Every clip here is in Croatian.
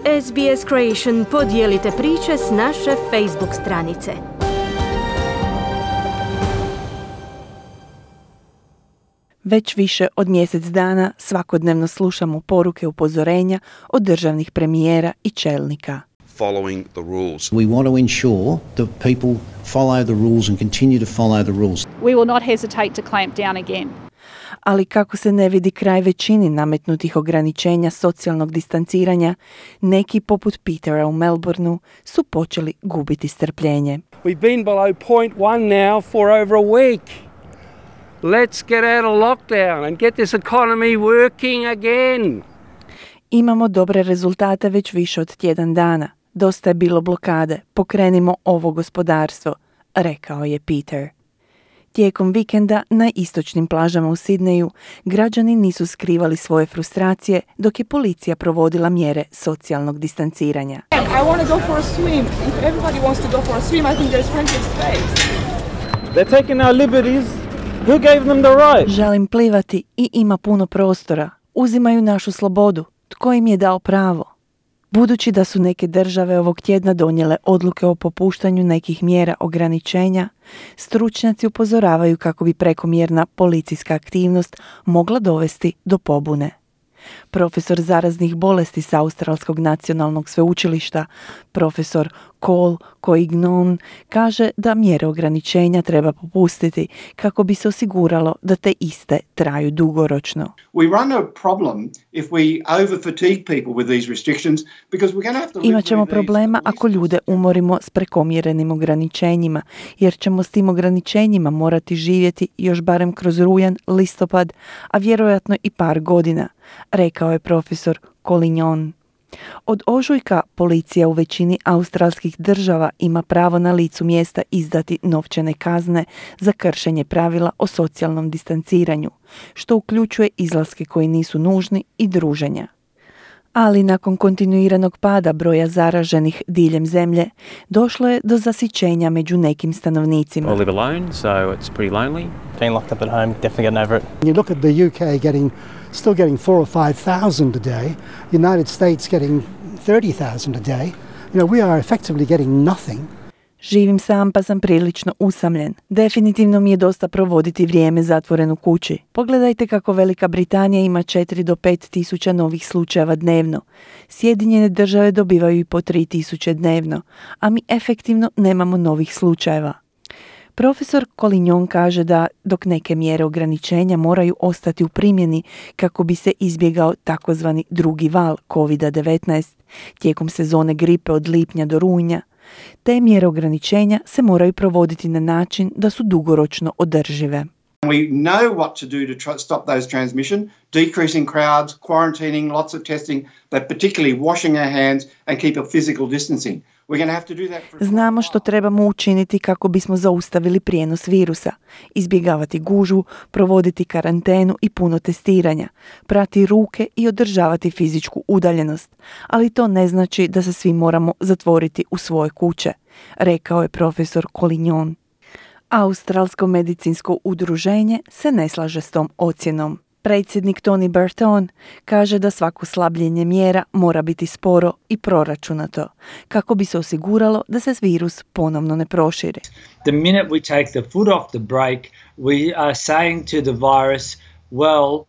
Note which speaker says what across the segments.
Speaker 1: SBS Creation podijelite priče s naše Facebook stranice.
Speaker 2: Već više od mjesec dana svakodnevno slušamo poruke upozorenja od državnih premijera i čelnika.
Speaker 3: Following the rules.
Speaker 4: We want to ensure that people follow the rules and continue to follow the rules.
Speaker 5: We will not hesitate to clamp down again.
Speaker 2: Ali kako se ne vidi kraj većini nametnutih ograničenja socijalnog distanciranja, neki poput Petera u Melbourneu su počeli gubiti strpljenje.
Speaker 6: We've been below 0.1 now for over a week. Let's get out of lockdown and get this economy working again.
Speaker 2: Imamo dobre rezultate već više od tjedan dana. Dosta je bilo blokade. Pokrenimo ovo gospodarstvo, rekao je Peter. Tijekom vikenda na istočnim plažama u Sidneju građani nisu skrivali svoje frustracije dok je policija provodila mjere socijalnog distanciranja.
Speaker 7: I want to go for a swim. If everybody wants to go for a swim, I think there's plenty of space.
Speaker 6: They're taking our liberties. Who gave them the right?
Speaker 2: Želim plivati i ima puno prostora. Uzimaju našu slobodu. Tko im je dao pravo? Budući da su neke države ovog tjedna donijele odluke o popuštanju nekih mjera ograničenja, stručnjaci upozoravaju kako bi prekomjerna policijska aktivnost mogla dovesti do pobune. Profesor zaraznih bolesti s Australskog nacionalnog sveučilišta, profesor Cole Coignon, kaže da mjere ograničenja treba popustiti kako bi se osiguralo da te iste traju dugoročno. Imaćemo problema ako ljude umorimo s prekomjerenim ograničenjima, jer ćemo s tim ograničenjima morati živjeti još barem kroz rujan, listopad, a vjerojatno i par godina, rekao je profesor Colignon. Od ožujka policija u većini australskih država ima pravo na licu mjesta izdati novčane kazne za kršenje pravila o socijalnom distanciranju, što uključuje izlaske koji nisu nužni i druženja. Ali nakon kontinuiranog pada broja zaraženih diljem zemlje, došlo je do zasićenja među nekim stanovnicima.
Speaker 8: I live alone, so it's pretty lonely.
Speaker 9: Being locked up at home, definitely getting over it.
Speaker 10: You look at the UK still getting 4,000 or 5,000 a day, United States getting 30,000 a day. You know, we are effectively getting nothing.
Speaker 2: Živim sam pa sam prilično usamljen. Definitivno mi je dosta provoditi vrijeme zatvoren u kući. Pogledajte kako Velika Britanija ima 4 do 5 tisuća novih slučajeva dnevno. Sjedinjene države dobivaju i po 3 tisuće dnevno, a mi efektivno nemamo novih slučajeva. Profesor Colignon kaže da dok neke mjere ograničenja moraju ostati u primjeni kako bi se izbjegao takozvani drugi val COVID-19 tijekom sezone gripe od lipnja do rujna, te mjere ograničenja se moraju provoditi na način da su dugoročno održive.
Speaker 11: We know what to do to stop those transmission, decreasing crowds, quarantining, lots of testing, but particularly washing our hands and keep a physical distancing. We're going to have to do that for...
Speaker 2: Znamo što trebamo učiniti kako bismo zaustavili prijenos virusa, izbjegavati gužvu, provoditi karantenu i puno testiranja, prati ruke i održavati fizičku udaljenost, ali to ne znači da se svi moramo zatvoriti u svoje kuće, rekao je profesor Colignon. Australsko medicinsko udruženje se ne slaže s tom ocjenom. Predsjednik Tony Burton kaže da svako slabljenje mjera mora biti sporo i proračunato, kako bi se osiguralo da se virus ponovno ne proširi.
Speaker 12: The minute we take the foot off the brake, we are saying to the virus, well,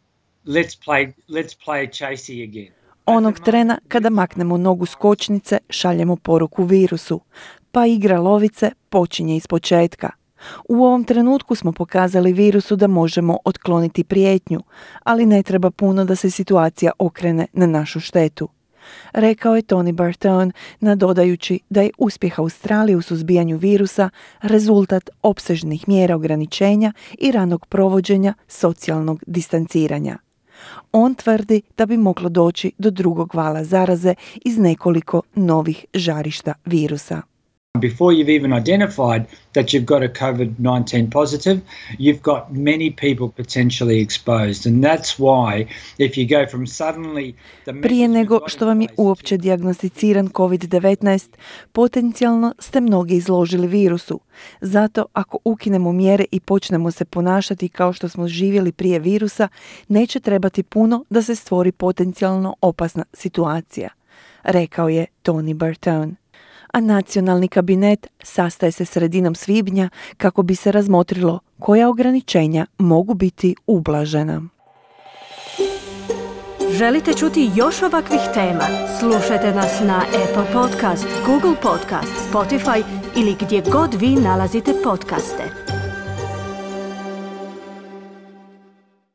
Speaker 12: let's play chasey again.
Speaker 2: Onog trena kada maknemo nogu s kočnice, šaljemo poruku virusu, pa igra lovice počinje ispočetka. U ovom trenutku smo pokazali virusu da možemo otkloniti prijetnju, ali ne treba puno da se situacija okrene na našu štetu, rekao je Tony Burton, nadodajući da je uspjeh Australije u suzbijanju virusa rezultat opsežnih mjera ograničenja i ranog provođenja socijalnog distanciranja. On tvrdi da bi moglo doći do drugog vala zaraze iz nekoliko novih žarišta virusa.
Speaker 12: Before you've even identified that you've got a COVID-19 positive, you've got many people potentially exposed. And that's why if you go from suddenly...
Speaker 2: Prije nego što vam je uopće dijagnosticiran COVID-19, potencijalno ste mnogi izložili virusu. Zato ako ukinemo mjere i počnemo se ponašati kao što smo živjeli prije virusa, neće trebati puno da se stvori potencijalno opasna situacija, rekao je Tony Bertone. A nacionalni kabinet sastaje se sredinom svibnja kako bi se razmotrilo koja ograničenja mogu biti ublažena.
Speaker 1: Želite čuti još ovakvih tema? Slušajte nas na Apple Podcast, Google Podcast, Spotify ili gdje god vi nalazite podcaste.